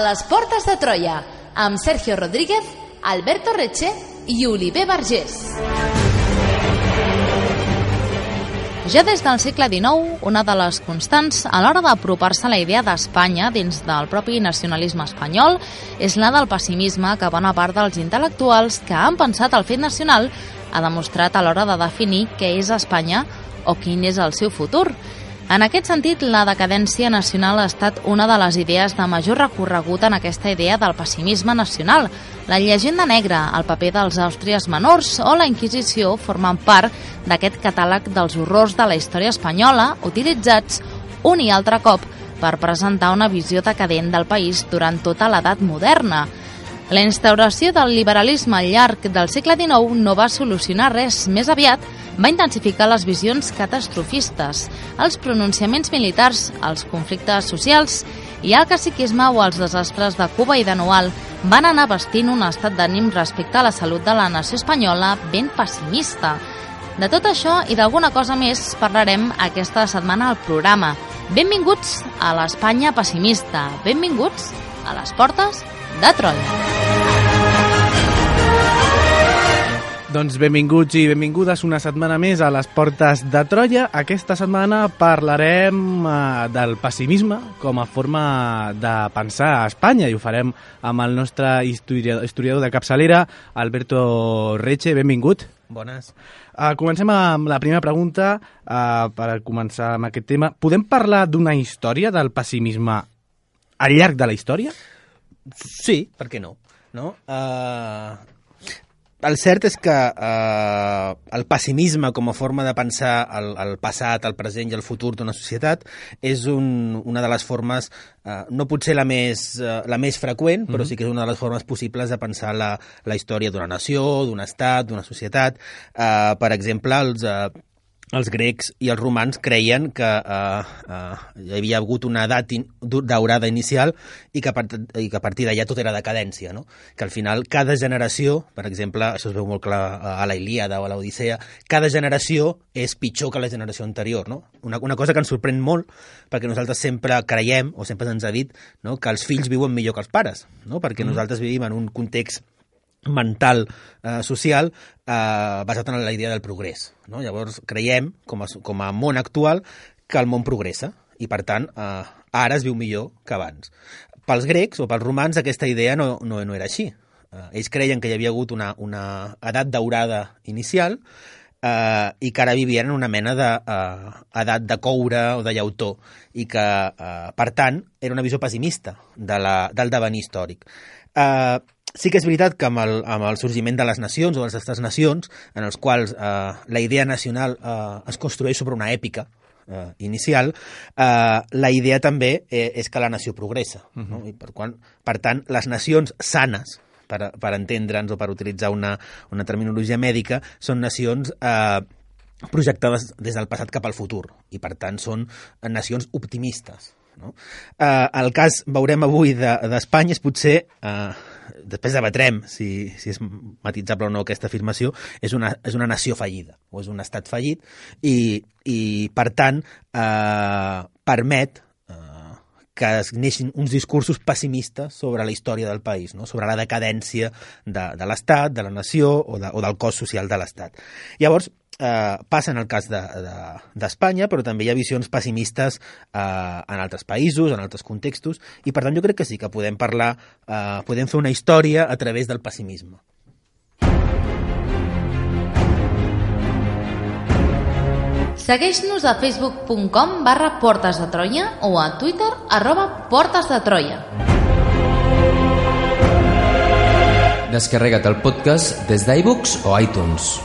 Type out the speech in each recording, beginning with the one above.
les portes de Troia, amb Sergio Rodríguez, Alberto Reche i Oliver Vergés. Ja des del segle XIX, una de les constants a l'hora d'apropar-se a la idea d'Espanya dins del propi nacionalisme espanyol és la del pessimisme que bona part dels intel·lectuals que han pensat el fet nacional ha demostrat a l'hora de definir què és Espanya o quin és el seu futur. En aquest sentit, la decadència nacional ha estat una de les idees de major recorregut en aquesta idea del pessimisme nacional. La llegenda negra, el paper dels Àustries menors o la Inquisició formen part d'aquest catàleg dels horrors de la història espanyola utilitzats un i altre cop per presentar una visió decadent del país durant tota l'edat moderna. La instauració del liberalisme al llarg del segle XIX no va solucionar res, més aviat va intensificar les visions catastrofistes, els pronunciaments militars, els conflictes socials i el caciquisme o els desastres de Cuba i de Noal van anar vestint un estat d'ànim respecte a la salut de la nació espanyola ben pessimista. De tot això i d'alguna cosa més parlarem aquesta setmana al programa. Benvinguts a l'Espanya pessimista, benvinguts a les portes de Troia. Doncs benvinguts i benvingudes una setmana més a les portes de Troia. Aquesta setmana parlarem del pessimisme com a forma de pensar a Espanya i ho farem amb el nostre historiador de capçalera, Alberto Reche. Benvingut. Bones. Comencem amb la primera pregunta per començar amb aquest tema. Podem parlar d'una història del pessimisme al llarg de la història? Sí, per què no? El cert és que el pessimisme com a forma de pensar el passat, el present i el futur d'una societat és una de les formes, no potser la més freqüent, però sí que és una de les formes possibles de pensar la història d'una nació, d'un estat, d'una societat. Per exemple, els grecs i els romans creien que hi havia hagut una edat daurada inicial i que a partir d'allà tot era decadència, no? Que al final cada generació, per exemple, això es veu molt clar a la Ilíada o a l'Odissea, cada generació és pitjor que la generació anterior, no? Una cosa que ens sorprèn molt, perquè nosaltres sempre creiem, o sempre ens ha dit, no, que els fills viuen millor que els pares, no? Perquè nosaltres vivim en un context mental, social, basat en la idea del progrés, no? Llavors creiem, com a món actual, que el món progressa i per tant ara es viu millor que abans. Pels grecs o pels romans aquesta idea no era així. Ells creien que hi havia hagut una edat daurada inicial i que ara vivien en una mena d'edat de coure o de llautó i que, per tant, era una visió pessimista del devenir històric. Sí que és veritat que amb el sorgiment de les nacions o de les estats-nacions, en els quals la idea nacional es construeix sobre una èpica inicial, la idea també és que la nació progressa. No? I per tant, les nacions sanes, per entendre'ns o per utilitzar una terminologia mèdica, són nacions projectades des del passat cap al futur i per tant són nacions optimistes. No? El cas, veurem avui, d'Espanya és potser, després debatrem si és matitzable o no aquesta afirmació, és una nació fallida o és un estat fallit i per tant permet que es neixin uns discursos pessimistes sobre la història del país, no? Sobre la decadència de l'estat, de la nació o del cos social de l'estat. Llavors, passa en el cas d'Espanya, però també hi ha visions pessimistes en altres països, en altres contextos, i per tant jo crec que sí que podem parlar, podem fer una història a través del pessimisme. Segueix-nos a facebook.com/Portes de Troia o a Twitter @PortesDeTroia. Descarrega't el podcast des d'iVoox o iTunes.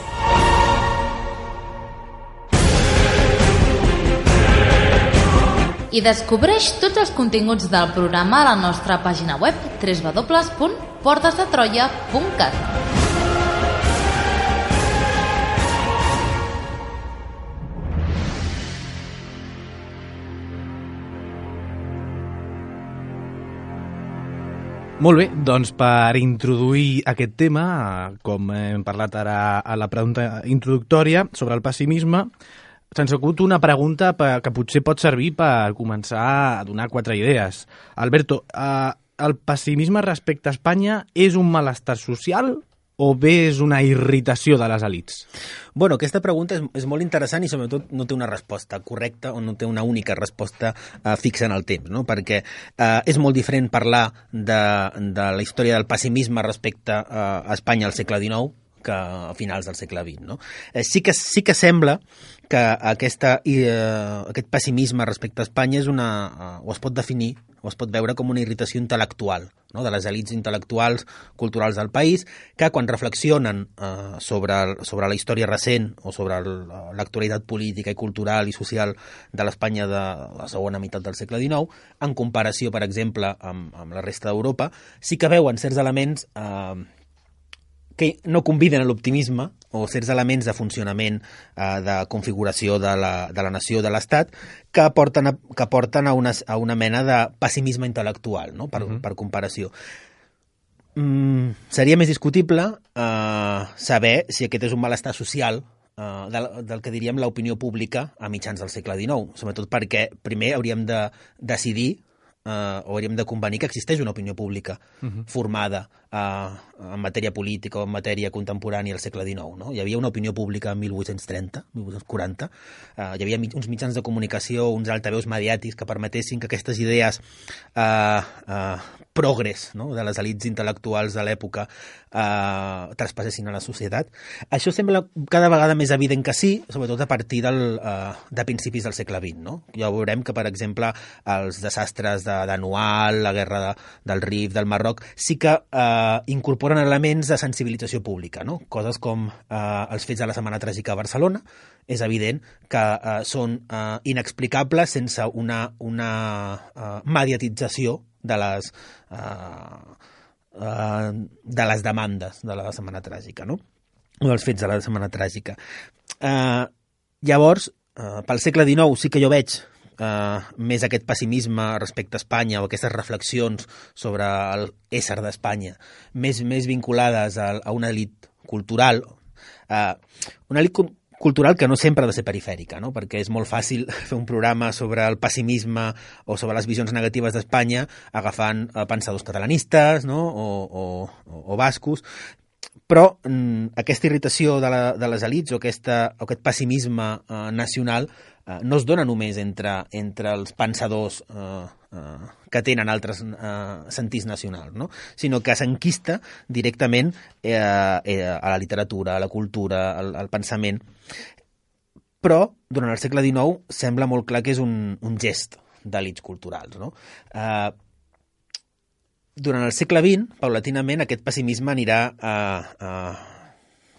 I descobreix tots els continguts del programa a la nostra pàgina web www.portesdetroia.cat. Molt bé, doncs per introduir aquest tema, com hem parlat ara a la pregunta introductòria sobre el pessimisme, se'ns acut una pregunta que potser pot servir per començar a donar 4 idees. Alberto, el pessimisme respecte a Espanya és un malestar social o bé és una irritació de les elits? Bueno, aquesta pregunta és molt interessant i sobretot no té una resposta correcta o no té una única resposta fixa en el temps, no? Perquè és molt diferent parlar de la història del pessimisme respecte a Espanya al segle XIX que a finals del segle XX. No? Sí que sembla que aquest pessimisme respecte a Espanya és o es pot definir o es pot veure com una irritació intel·lectual, no? De les elits intel·lectuals culturals del país, que quan reflexionen sobre la història recent o sobre l'actualitat política i cultural i social de l'Espanya de la segona meitat del segle XIX, en comparació, per exemple, amb la resta d'Europa, sí que veuen certs elements que no conviden a l'optimisme o certs elements de funcionament, de configuració de la nació, de l'Estat, que porten a una mena de pessimisme intel·lectual, no? Per comparació. Seria més discutible saber si aquest és un malestar social del que diríem l'opinió pública a mitjans del segle XIX, sobretot perquè primer hauríem de decidir o hauríem de convenir que existeix una opinió pública formada en matèria política o en matèria contemporània al segle XIX. No? Hi havia una opinió pública en 1830, 1840, hi havia uns mitjans de comunicació, uns altaveus mediàtics que permetessin que aquestes idees progrés, no? De les elits intel·lectuals de l'època traspassessin a la societat. Això sembla cada vegada més evident que sí, sobretot a partir de principis del segle XX. No? Ja veurem que, per exemple, els desastres d'Anual, la guerra del Rif, del Marroc, sí que incorporen elements de sensibilització pública, no? Coses com els fets de la Setmana Tràgica a Barcelona. És evident que són inexplicables sense una mediatització de les demandes de la Setmana Tràgica, no? O dels fets de la Setmana Tràgica. Llavors, pel segle XIX sí que jo veig més aquest pessimisme respecte a Espanya o aquestes reflexions sobre l'ésser d'Espanya més vinculades a una elit cultural, cultural que no sempre ha de ser perifèrica, no? Perquè és molt fàcil fer un programa sobre el pessimisme o sobre les visions negatives d'Espanya agafant pensadors catalanistes, no? o bascos, però aquesta irritació de les elits o aquest pessimisme nacional no es dona només entre els pensadors que tenen altres sentits nacionals, no? Sinó que s'enquista directament a la literatura, a la cultura, al pensament. Però durant el segle XIX sembla molt clar que és un gest d'elits culturals, no? Durant el segle XX, paulatinament, aquest pessimisme anirà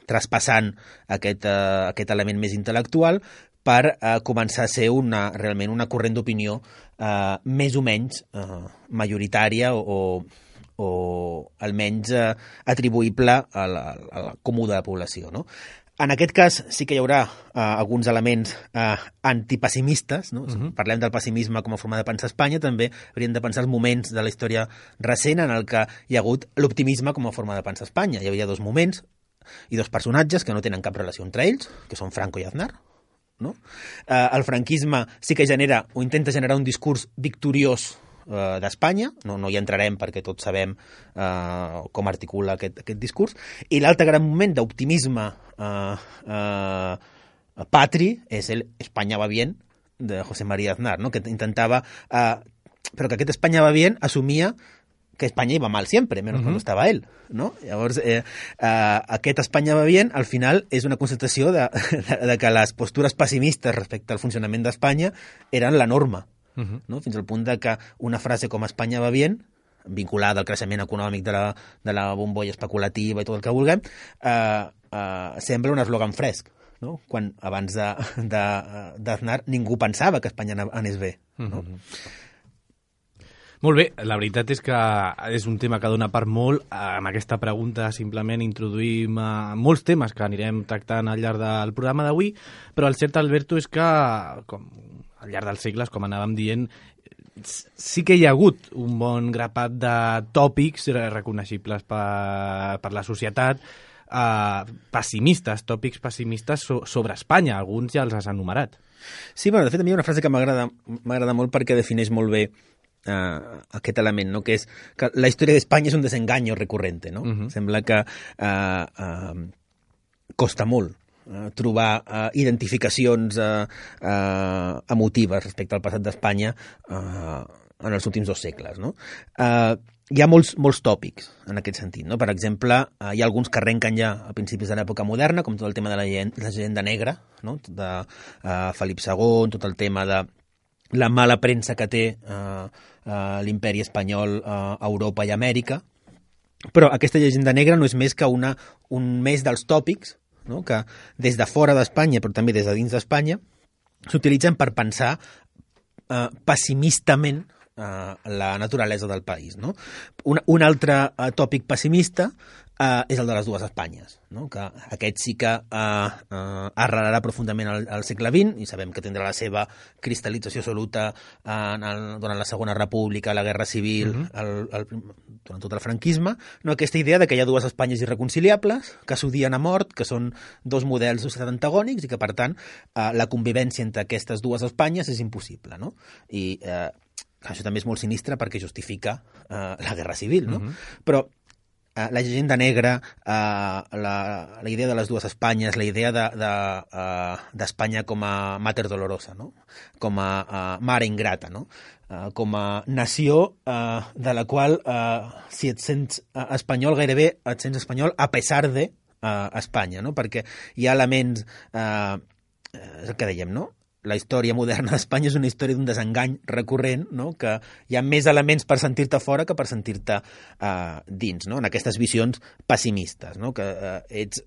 traspassant aquest element més intel·lectual per començar a ser realment una corrent d'opinió més o menys majoritària o almenys atribuïble a la comú de la població, no? En aquest cas sí que hi haurà alguns elements antipessimistes, no? Parlem del pessimisme com a forma de pensar a Espanya, també hauríem de pensar els moments de la història recent en el que hi ha hagut l'optimisme com a forma de pensar a Espanya. Hi havia dos moments i dos personatges que no tenen cap relació entre ells, que són Franco i Aznar. No? El franquisme sí que genera o intenta generar un discurs victoriós d'Espanya, no hi entrarem perquè tots sabem com articula aquest discurs, i l'altre gran moment d'optimisme patri és el Espanya va bien de José María Aznar, no? Que intentava però que aquest Espanya va bien assumia que Espanya iba mal siempre, menos cuando estaba él, ¿no? Llavors, aquest Espanya va bien, al final, és una constatació de que les postures pessimistes respecte al funcionament d'Espanya eren la norma, no? Fins al punt de que una frase com Espanya va bien, vinculada al creixement econòmic de la bombolla especulativa i tot el que vulguem, sembla un eslògan fresc, no? Quan abans d'Aznar ningú pensava que Espanya anés bé, no? Molt bé, la veritat és que és un tema que dona per molt. Amb aquesta pregunta simplement introduïm molts temes que anirem tractant al llarg del programa d'avui, però el cert, Alberto, és que al llarg dels segles, com anàvem dient, sí que hi ha hagut un bon grapat de tòpics reconeixibles per la societat, pessimistes, tòpics pessimistes sobre Espanya. Alguns ja els has enumerat. Sí, bueno, de fet, a mi hi ha una frase que m'agrada molt perquè defineix molt bé aquest element, no? Que és que la història d'Espanya és un desengaño recurrente, no? Sembla que costa molt trobar identificacions emotives respecte al passat d'Espanya en els últims 2 segles, no? Hi ha molts tòpics en aquest sentit, no? Per exemple, hi ha alguns que arrenquen ja a principis de l'època moderna, com tot el tema de la llegenda negra, no? De Felip II, tot el tema de la mala premsa que té l'imperi espanyol a Europa i Amèrica, però aquesta llegenda negra no és més que un més dels tòpics, no? Que des de fora d'Espanya, però també des de dins d'Espanya, s'utilitzen per pensar pessimistament la naturalesa del país, no? Un altre tòpic pessimista és el de les 2 Espanyes, no? Que aquest sí que arrelarà profundament al segle XX i sabem que tindrà la seva cristal·lització absoluta durant la Segona República, la Guerra Civil, durant tot el franquisme, no? Aquesta idea de que hi ha 2 Espanyes irreconciliables, que s'odien a mort, que són 2 models de societat antagònics i que, per tant, la convivència entre aquestes 2 Espanyes és impossible, no? I això també és molt sinistre perquè justifica la Guerra Civil, no? Però la llegenda negra, la idea de les 2 Espanyes, la idea d'Espanya com a mater dolorosa, no? Com a mare ingrata, no? Com a nació de la qual, si et sents espanyol, gairebé et sents espanyol a pesar de Espanya, no? Perquè hi ha elements, és el que dèiem, no? La història moderna d'Espanya és una història d'un desengany recurrent, no? Que hi ha més elements per sentir-te fora que per sentir-te dins, no? En aquestes visions pessimistes, no? Que ets...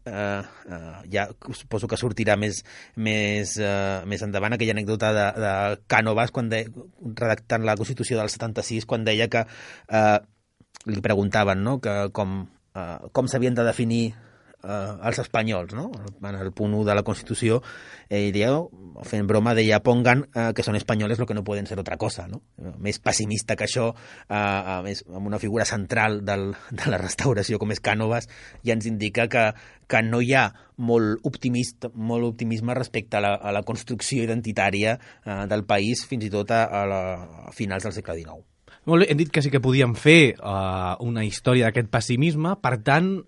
ja suposo que sortirà més endavant aquella anècdota de Cànovas redactant la Constitució del 76, quan deia que li preguntaven, no? Que com s'havien de definir els espanyols, no? En el punt 1 de la Constitució, ell deia, fent broma, deia, pongan que són espanyoles lo que no poden ser otra cosa, no? Més pessimista que això, més amb una figura central de la restauració com és Cànovas, ja ens indica que no hi ha molt optimisme respecte a la construcció identitària del país, fins i tot a finals del segle XIX. Molt bé, hem dit que sí que podíem fer una història d'aquest pessimisme, per tant,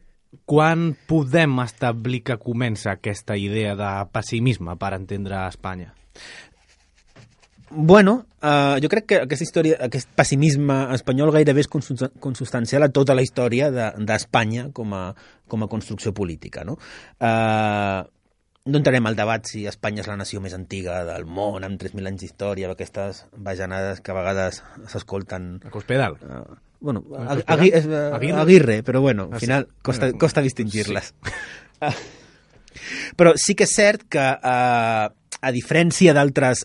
quan podem establir que comença aquesta idea de pessimisme per entendre Espanya? Bueno, jo crec que aquesta història, aquest pessimisme espanyol gairebé és consubstancial a tota la història d'Espanya com a construcció política, no? No entrarem al debat si Espanya és la nació més antiga del món, amb 3.000 anys d'història, aquestes bajanades que a vegades s'escolten... A Cospedal. Bueno, Aguirre, però bueno, al final costa distingir-les. Però sí que és cert que, a diferència d'altres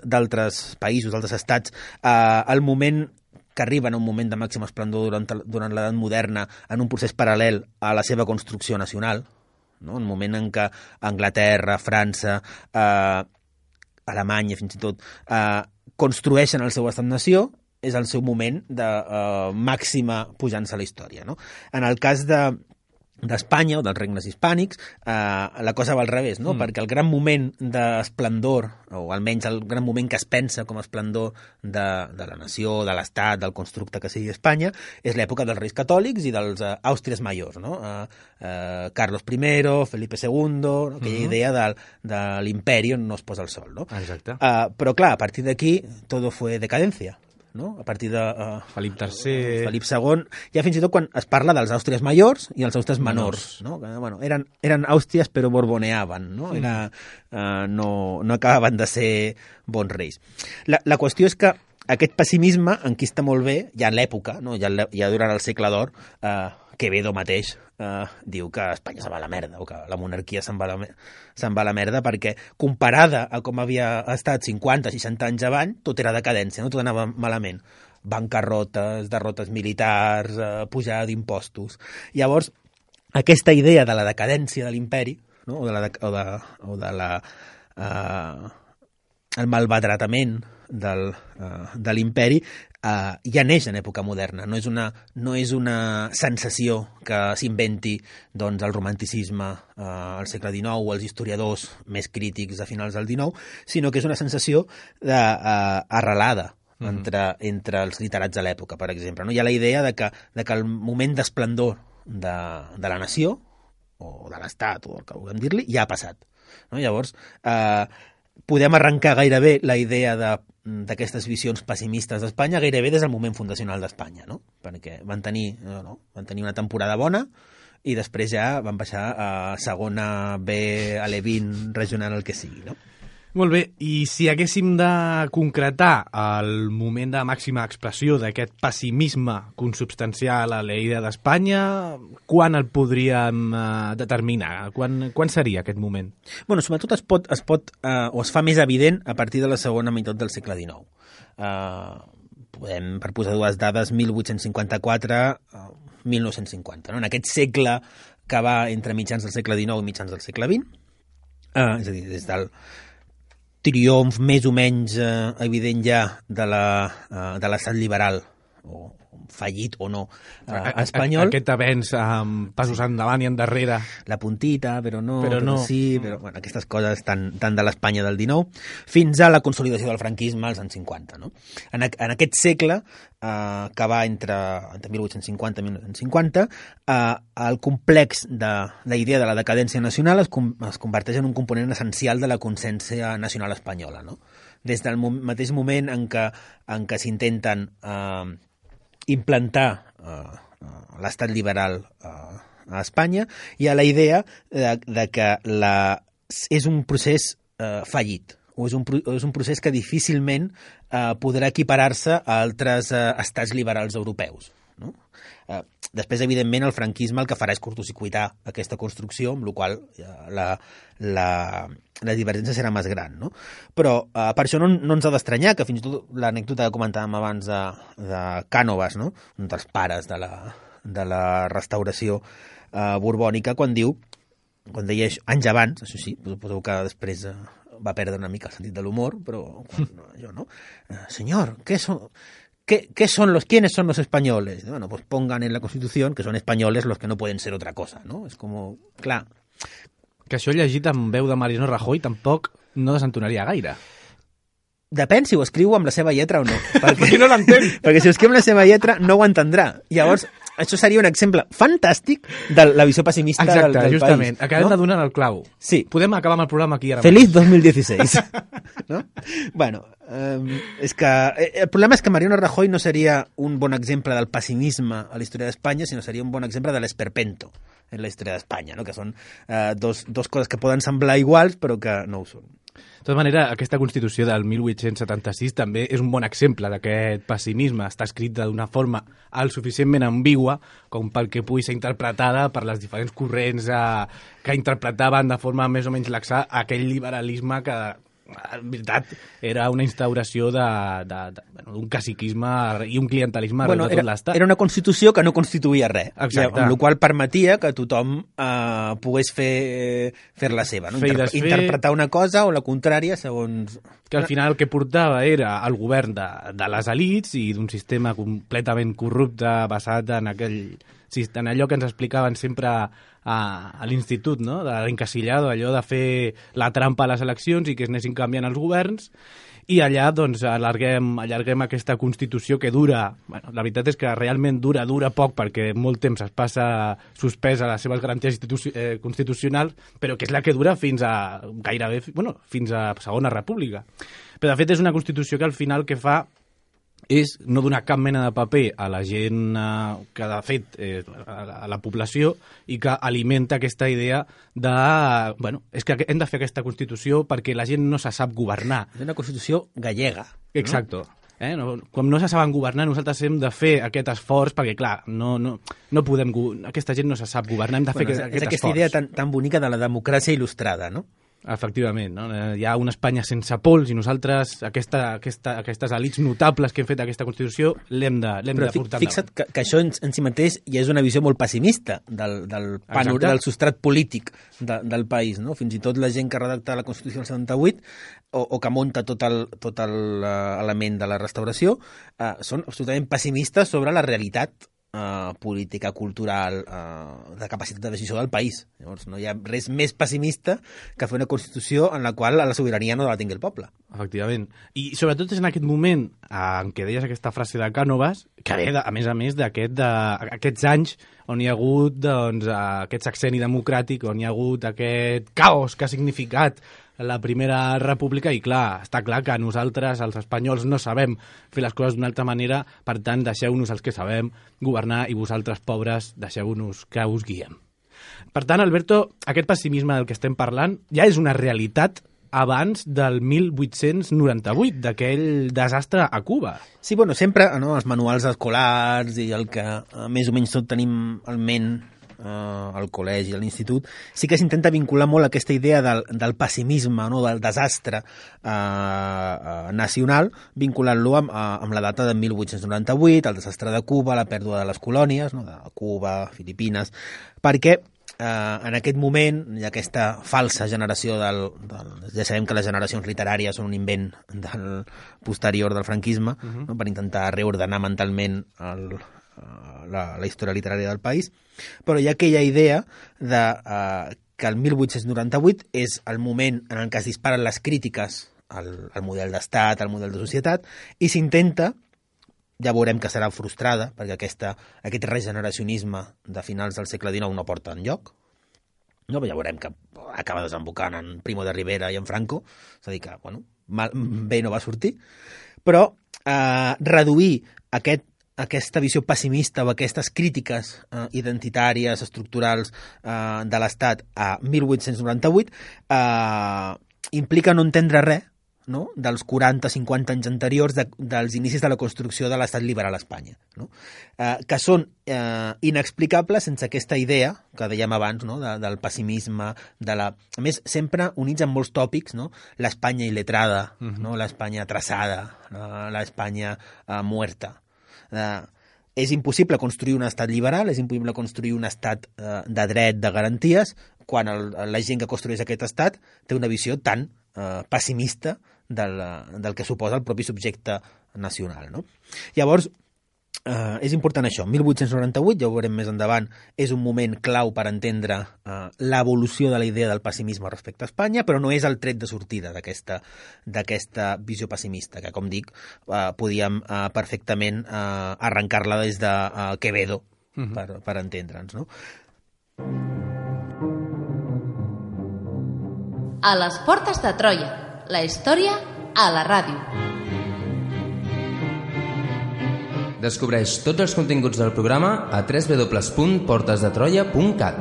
països, d'altres estats, el moment que arriben a un moment de màxim esplendor durant l'edat moderna en un procés paral·lel a la seva construcció nacional, no? Un moment en què Anglaterra, França, Alemanya, fins i tot, construeixen el seu estat-nació, és el seu moment de màxima pujança a la història, no? En el cas d'Espanya o dels regnes hispànics, la cosa va al revés, no? Perquè el gran moment d'esplendor, o almenys el gran moment que es pensa com a esplendor de la nació, de l'estat, del constructe que sigui Espanya, és l'època dels reis catòlics i dels Àustries majors, no? Carlos I, Felipe II, no? Aquella idea de l'imperi on no es posa el sol, no? Exacte. Però clar, a partir d'aquí todo fue decadencia, no? A partir de Felip III... Felip II, ja fins i tot quan es parla dels Àustries majors i els Àustries menors, no? Que, bueno, eren Àustries però borboneaven, no? No acabaven de ser bons reis. La qüestió és que aquest pessimisme enquista molt bé, ja en l'època, no? ja durant el segle d'or, Quevedo mateix diu que Espanya se'n va a la merda, o que la monarquia se'n va a la merda, perquè comparada a com havia estat 50-60 anys abans, tot era decadència, no? Tot anava malament. Bancarrotes, derrotes militars, pujada d'impostos. Llavors, aquesta idea de la decadència de l'imperi, no? o de el malbadratament de l'imperi, ja neix en època moderna. No és una sensació que s'inventi doncs, el romanticisme al segle XIX o els historiadors més crítics a finals del XIX, sinó que és una sensació arrelada entre els literats de l'època, per exemple. No? Hi ha la idea de que el moment d'esplendor de la nació, o de l'Estat, o el que vulguem dir-li, ja ha passat. No? Llavors, podem arrencar gairebé la idea d'aquestes visions pessimistes d'Espanya gairebé des del moment fundacional d'Espanya, no? Perquè van tenir una temporada bona i després ja van baixar a segona B, a l'E20 regional, el que sigui, no? Molt bé, i si haguéssim de concretar el moment de màxima expressió d'aquest pessimisme consubstancial a la idea d'Espanya, quan el podríem determinar? Quan seria aquest moment? Bueno, sobretot es pot o es fa més evident a partir de la segona meitat del segle XIX. Podem, per posar dues dades, 1854-1950. No? En aquest segle que va entre mitjans del segle XIX i mitjans del segle XX, és a dir, des del triomf més o menys evident ja de l'estat liberal, o fallit o no, espanyol. Aquest avenç amb passos endavant i endarrere. La puntita, però sí, però bueno, aquestes coses tan de l'Espanya del XIX, fins a la consolidació del franquisme als anys 50. No? En aquest segle, que va entre 1850 i 1950, el complex de la idea de la decadència nacional es converteix en un component essencial de la consciència nacional espanyola. No? Des del mateix moment en què s'intenten implantar l'estat liberal a Espanya, hi ha la idea de que és un procés fallit, o és un procés que difícilment podrà equiparar-se a altres estats liberals europeus. No? Després, evidentment, el franquisme el que farà és curtocircuitar aquesta construcció, amb la qual la divergència serà més gran. No? Però per això no ens ha d'estranyar que fins i tot l'anècdota que comentàvem abans de Cànovas, no? Un dels pares de la restauració borbònica, quan deia anys abans, això sí, suposo que després va perdre una mica el sentit de l'humor, però jo no. Senyor, ¿quiénes son los españoles? Bueno, pues pongan en la Constitución que son españoles los que no pueden ser otra cosa, ¿no? És com, clar... Que això llegit amb veu de Mariano Rajoy tampoc no desentonaria gaire. Depèn si ho escriu amb la seva lletra o no. Perquè no l'entén. Perquè si ho escriu amb la seva lletra no ho entendrà. Llavors, això seria un exemple fantàstic de la visió pessimista del país. Exacte, justament. Acabem de donar el clau. Sí. Podem acabar amb el programa aquí ara. Feliz 2016. No? Bueno, és que el problema és que Mariano Rajoy no seria un bon exemple del pessimisme a la història d'Espanya, sinó seria un bon exemple de l'esperpento en la història d'Espanya, no? Que són dos coses que poden semblar iguals però que no ho són. De tota manera, aquesta Constitució del 1876 també és un bon exemple d'aquest pessimisme. Està escrita d'una forma suficientment ambigua com perquè pugui ser interpretada per les diferents corrents que interpretaven de forma més o menys laxa aquell liberalisme que, en veritat, era una instauració d'un caciquisme i un clientelisme arreu de tot l'Estat. Era una Constitució que no constituïa res. Exacte. Amb la qual permetia que tothom pogués fer la seva. No? Interpretar una cosa o la contrària segons... Que al final el que portava era el govern de les elits i d'un sistema completament corrupte basat en allò que ens explicaven sempre a l'institut, no? De l'encasillado, allò de fer la trampa a les eleccions i que es anessin canviant els governs, i allà doncs allarguem aquesta Constitució que dura, bueno, la veritat és que realment dura poc perquè molt temps es passa suspesa les seves garanties constitucionals, però que és la que dura fins a fins a Segona República. Però de fet és una Constitució que al final que fa és no donar cap mena de paper a la gent que, de fet, a la població, i que alimenta aquesta idea de... Bueno, és que hem de fer aquesta Constitució perquè la gent no se sap governar. És una Constitució gallega. Exacto. No? Com no se saben governar, nosaltres hem de fer aquest esforç perquè, clar, no podem... Aquesta gent no se sap governar, hem de fer aquest esforç. És aquesta idea tan bonica de la democràcia il·lustrada, no? Efectivament, no? Hi ha una Espanya sense pols i nosaltres aquestes elits notables que hem fet aquesta Constitució l'hem de portar endavant. Fixa't que això en si mateix ja és una visió molt pessimista del substrat polític del país, no? Fins i tot la gent que redacta la Constitució del 78 o que munta tot l'element de la restauració són absolutament pessimistes sobre la realitat política, cultural, de capacitat de decisió del país. Llavors no hi ha res més pessimista que fer una Constitució en la qual la sobirania no la tingui el poble. Efectivament. I sobretot és en aquest moment en què deies aquesta frase de Cánovas, que ve, a més d'aquests anys on hi ha hagut aquest sexeni democràtic, on hi ha hagut aquest caos que ha significat la Primera República, i clar, està clar que nosaltres, els espanyols, no sabem fer les coses d'una altra manera, per tant, deixeu-nos els que sabem governar i vosaltres, pobres, deixeu-nos que us guiem. Per tant, Alberto, aquest pessimisme del que estem parlant ja és una realitat abans del 1898, d'aquell desastre a Cuba. Sí, bueno, sempre els manuals escolars i el que més o menys tot tenim al ment al col·legi, a l'institut, sí que s'intenta vincular molt aquesta idea del pessimisme, del desastre nacional, vinculant-lo amb la data de 1898, el desastre de Cuba, la pèrdua de les colònies, de Cuba, Filipines, perquè en aquest moment hi ha aquesta falsa generació ja sabem que les generacions literàries són un invent posterior del franquisme, per intentar reordenar mentalment la història literària del país, però hi ha aquella idea que el 1898 és el moment en el que es disparen les crítiques al model d'estat, al model de societat, i s'intenta, ja veurem que serà frustrada, perquè aquest regeneracionisme de finals del segle XIX no porta enlloc, però ja veurem que acaba desembocant en Primo de Rivera i en Franco, és a dir que, bé no va sortir, però reduir aquesta visió pessimista o aquestes crítiques identitàries, estructurals de l'Estat a 1898 implica no entendre res dels 40-50 anys anteriors dels inicis de la construcció de l'Estat liberal a Espanya, que són inexplicables sense aquesta idea que dèiem abans, del pessimisme, a més, sempre units amb molts tòpics, l'Espanya il·letrada, l'Espanya traçada, l'Espanya muerta. És impossible construir un estat liberal, és impossible construir un estat de dret, de garanties, quan la gent que construeix aquest estat té una visió tan pessimista del que suposa el propi subjecte nacional. Llavors, és important això. 1898, ja ho veurem més endavant, és un moment clau per entendre l'evolució de la idea del pessimisme respecte a Espanya, però no és el tret de sortida d'aquesta visió pessimista, que, com dic, podíem perfectament arrencar-la des de Quevedo per entendre'ns. A les portes de Troia, la història a la ràdio. Descobreix tots els continguts del programa a www.portesdetroia.cat.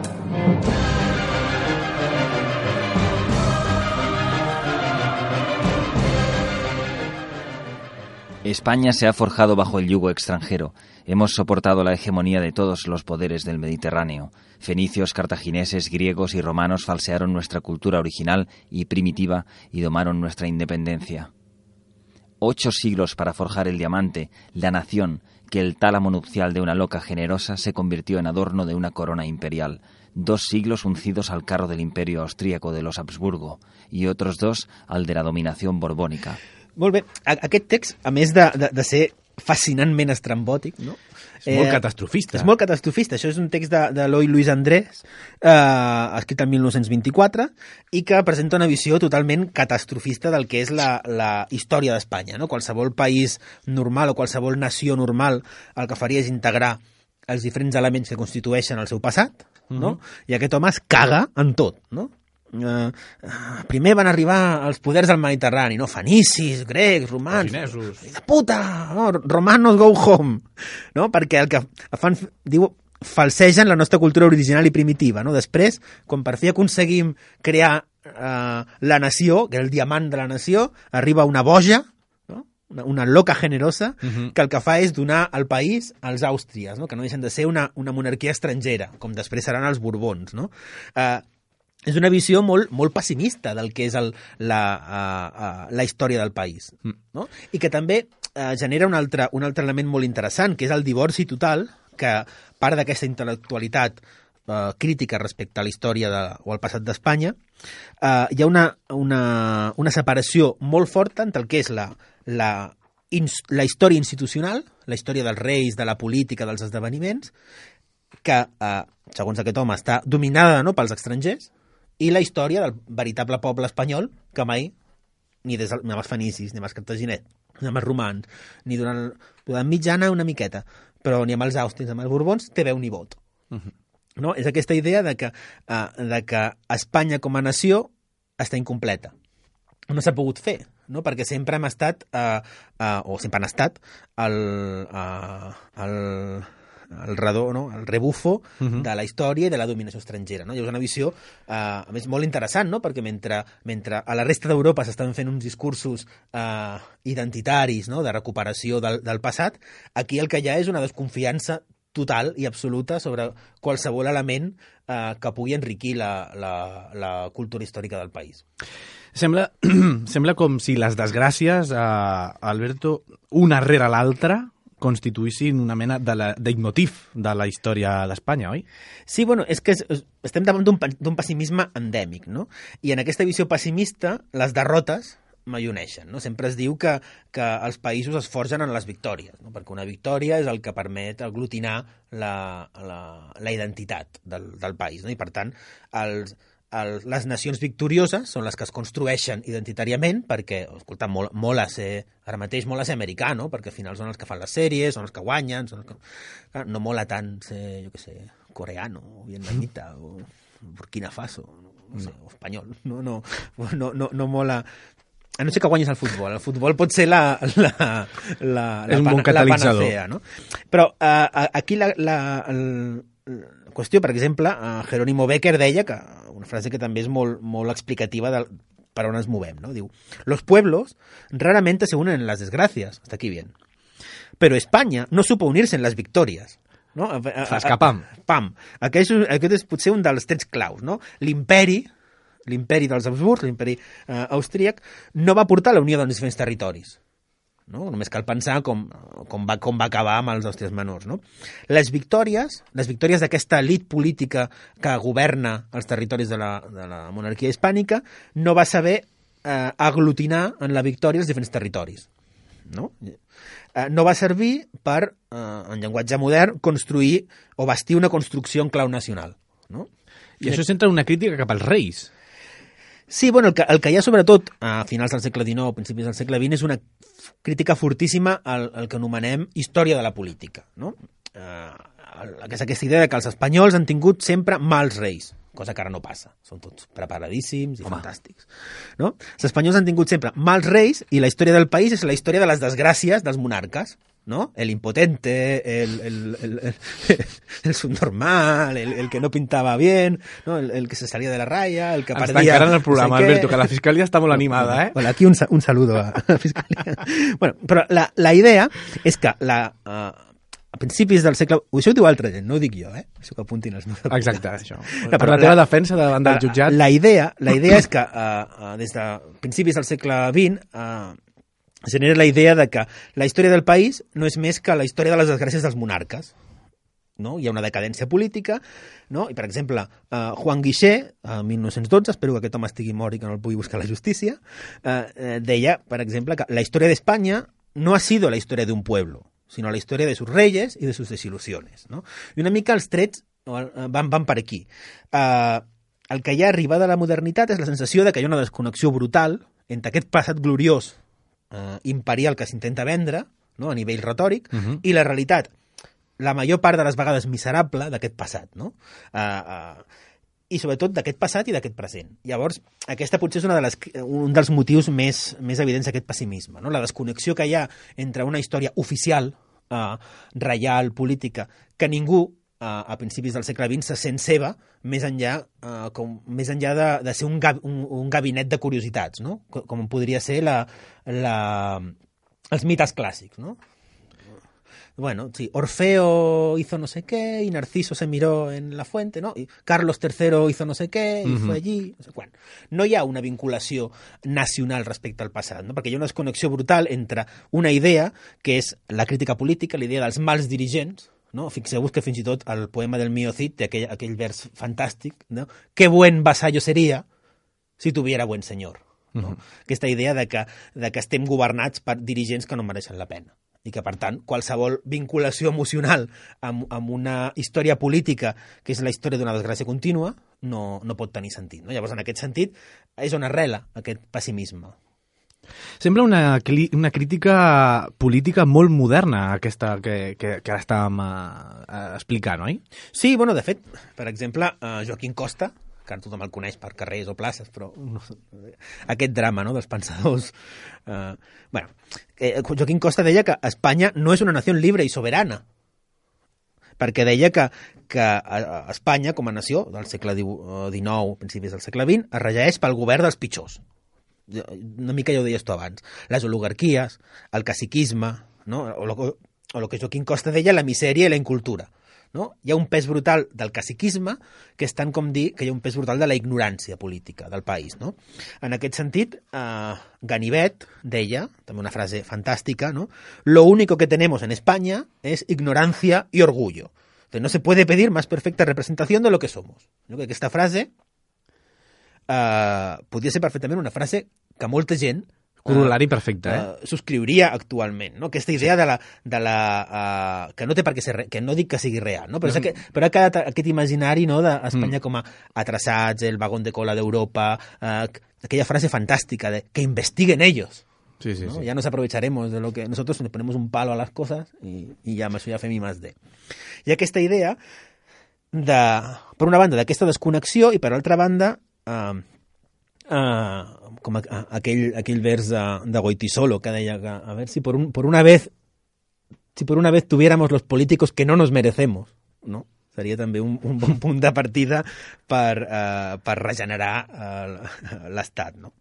España se ha forjado bajo el yugo extranjero. Hemos soportado la hegemonía de todos los poderes del Mediterráneo. Fenicios, cartagineses, griegos y romanos falsearon nuestra cultura original y primitiva y domaron nuestra independencia. 8 siglos para forjar el diamante, la nación, que el tálamo nupcial de una loca generosa se convirtió en adorno de una corona imperial. 2 siglos uncidos al carro del imperio austríaco de los Habsburgo y otros 2 al de la dominación borbónica. Molt bé. Aquest text, a més de ser fascinantment estrambòtic, és molt catastrofista. És molt catastrofista. Això és un text d'Eloi Luis Andrés, escrit el 1924, i que presenta una visió totalment catastrofista del que és la història d'Espanya. Qualsevol país normal o qualsevol nació normal el que faria és integrar els diferents elements que constitueixen el seu passat, i aquest home es caga en tot, primer van arribar els poders del Mediterrani, fenicis, grecs, romans, de puta, romanos go home, perquè el que fan, diu, falsegen la nostra cultura original i primitiva. Després, quan per fi aconseguim crear la nació, que és el diamant de la nació, arriba una boja, una loca generosa, que el que fa és donar al país als àustries, que no deixen de ser una monarquia estrangera, com després seran els borbons. És una visió molt, molt pessimista del que és la història del país. I que també genera un altre element molt interessant, que és el divorci total, que part d'aquesta intel·lectualitat crítica respecte a la història o al passat d'Espanya, hi ha una separació molt forta entre el que és la història institucional, la història dels reis, de la política, dels esdeveniments, que, segons aquest home, està dominada, no?, pels estrangers, i la història del veritable poble espanyol, que mai, ni amb els fenicis, ni amb els cartaginets, ni amb els romans, ni durant mitjana una miqueta, però ni amb els àustries, ni amb els borbons, té veu ni vot. No? És aquesta idea de que Espanya com a nació està incompleta. No s'ha pogut fer, no? Perquè sempre hem estat, o sempre han estat, el redó, no? El rebufo de la història i de la dominació estrangera. No? I és una visió, a més, molt interessant, no? Perquè mentre a la resta d'Europa s'estan fent uns discursos identitaris, no? De recuperació del passat, aquí el que hi ha és una desconfiança total i absoluta sobre qualsevol element que pugui enriquir la cultura històrica del país. Sembla com si les desgràcies, Alberto, una rere l'altra, constituïssin una mena de leitmotiv de la història d'Espanya, oi? Sí, bueno, és que estem davant d'un pessimisme endèmic, no? I en aquesta visió pessimista, les derrotes m'alloneixen, no? Sempre es diu que els països es forgen en les victòries, no? Perquè una victòria és el que permet aglutinar la identitat del país, no? I per tant, les nacions victorioses són les que es construeixen identitàriament perquè, escolta, mola ser, ara mateix mola ser americà, no? Perquè al final són els que fan les sèries, són els que guanyen, no mola tant ser, jo què sé, coreano, o vietnamita, o Burkina Faso, no sé, o espanyol, no mola. A no ser que guanyis al futbol. El futbol pot ser la un bon catalitzador. Panacea, no? Però aquí la qüestió, per exemple, Jerónimo Becker deia que una frase que també és molt explicativa per on ens movem, ¿no? Diu, los pueblos raramente se unen en las desgracias, hasta aquí bien, pero España no supo unirse en las victorias. No? Escapam. Pam. Aquest és potser un dels trets claus, no? L'imperi dels Habsburg, l'imperi austríac, no va portar la unió dels diferents territoris. No? Només cal pensar com va acabar amb els Àustries menors. No? Les victòries d'aquesta elit política que governa els territoris de la monarquia hispànica no va saber aglutinar en la victòria els diferents territoris. No va servir per, en llenguatge modern, construir o bastir una construcció en clau nacional. No? I això centra una crítica cap als reis. Sí, bueno, el que hi ha sobretot a finals del segle XIX, principis del segle XX, és una crítica fortíssima al que anomenem història de la política. No? Aquesta idea que els espanyols han tingut sempre mals reis, cosa que ara no passa. Són tots preparadíssims i fantàstics. No? Els espanyols han tingut sempre mals reis i la història del país és la història de les desgràcies dels monarques. ¿No? El impotente, el subnormal, el que no pintaba bien, ¿no? El que se salía de la raya, el que perdía... Ens tancaran el programa, Alberto, que la Fiscalia està molt animada, eh? Bueno, aquí un saludo a la Fiscalia. Bueno, però la idea és que a principis del segle... Això ho diu altra gent, no ho dic jo, Això que apuntin els meus... Exacte, això. Per la teva defensa davant del jutjat... La idea és que des de principis del segle XX genera la idea de que la història del país no és més que la història de les desgràcies dels monarques. No? Hi ha una decadència política, no? I, per exemple, Juan Guixé, a 1912, espero que aquest home estigui mort i que no el pugui buscar a la justícia, deia, per exemple, que la història d'Espanya no ha sido la història d'un pueblo, sino la història de sus reyes y de sus desilusiones. No? I una mica els trets van per aquí. El que hi ha arribada a la modernitat és la sensació de que hi ha una desconnexió brutal entre aquest passat gloriós imperial que s'intenta vendre, no? A nivell retòric, i la realitat, la major part de les vegades miserable d'aquest passat, no? I sobretot d'aquest passat i d'aquest present. Llavors, aquesta potser és un dels motius més evidents d'aquest pessimisme, no? La desconnexió que hi ha entre una història oficial, reial, política, que ningú a principis del segle XX se sent seva, més enllà de ser un gabinet de curiositats, no? Com podria ser els mites clàssics, no? Bueno, sí, Orfeo hizo no sé qué y Narciso se miró en la fuente, ¿no? Y Carlos III hizo no sé qué y fue allí, no sé quan. No hi ha una vinculació nacional respecte al passat, no? Perquè hi ha una desconnexió brutal entre una idea, que és la crítica política, la idea dels mals dirigents, no? Fixeu-vos que fins i tot el poema del Mio Cid té aquell vers fantàstic, no? Qué buen vasallo sería si tuviera buen señor. No? Aquesta idea de que estem governats per dirigents que no mereixen la pena. i que, per tant, qualsevol vinculació emocional amb una història política, que és la història d'una desgràcia contínua, no pot tenir sentit. No? Llavors, en aquest sentit, és on arrela aquest pessimisme. Sembla una crítica política molt moderna, aquesta que ara estàvem explicant, oi? Sí, bueno, de fet, per exemple, Joaquín Costa, que ara tothom el coneix per carrers o places, però aquest drama, no?, dels pensadors. Joaquín Costa deia que Espanya no és una nació lliure i soberana, perquè deia que Espanya, com a nació del segle XIX, principis del segle XX, es regeix pel govern dels pitjors. Una mica ja ho deies tu abans. Les oligarquies, el caciquisme, no? o lo que Joaquín Costa deia, la misèria i la incultura. No? Hi ha un pes brutal del caciquisme, que és tant com dir que hi ha un pes brutal de la ignorància política del país. No? En aquest sentit, Ganivet deia, també una frase fantàstica, ¿no? Lo único que tenemos en España es ignorancia y orgullo. Entonces, no se puede pedir más perfecta representación de lo que somos. ¿No? Que aquesta frase podria ser perfectament una frase que molta gent corol·lari perfecte, subscriuria actualment, no? Aquesta idea que no té per què ser que no dic que sigui real, no? Però ha quedat aquest imaginari, no, d'Espanya com a atrasats, el vagón de cola d'Europa, aquella frase fantàstica de que investiguen ellos. Sí, sí, ¿no? sí. Ya nos aprovecharemos de lo que nosotros nos ponemos un palo a las cosas y ja amb això ja fem I+D. I aquesta idea per una banda d'aquesta desconnexió i per altra banda com aquell vers de Goytisolo que deia que a ver si por una vez tuviéramos los políticos que no nos merecemos, no? Seria també un bon punt de partida per regenerar l'Estat, no?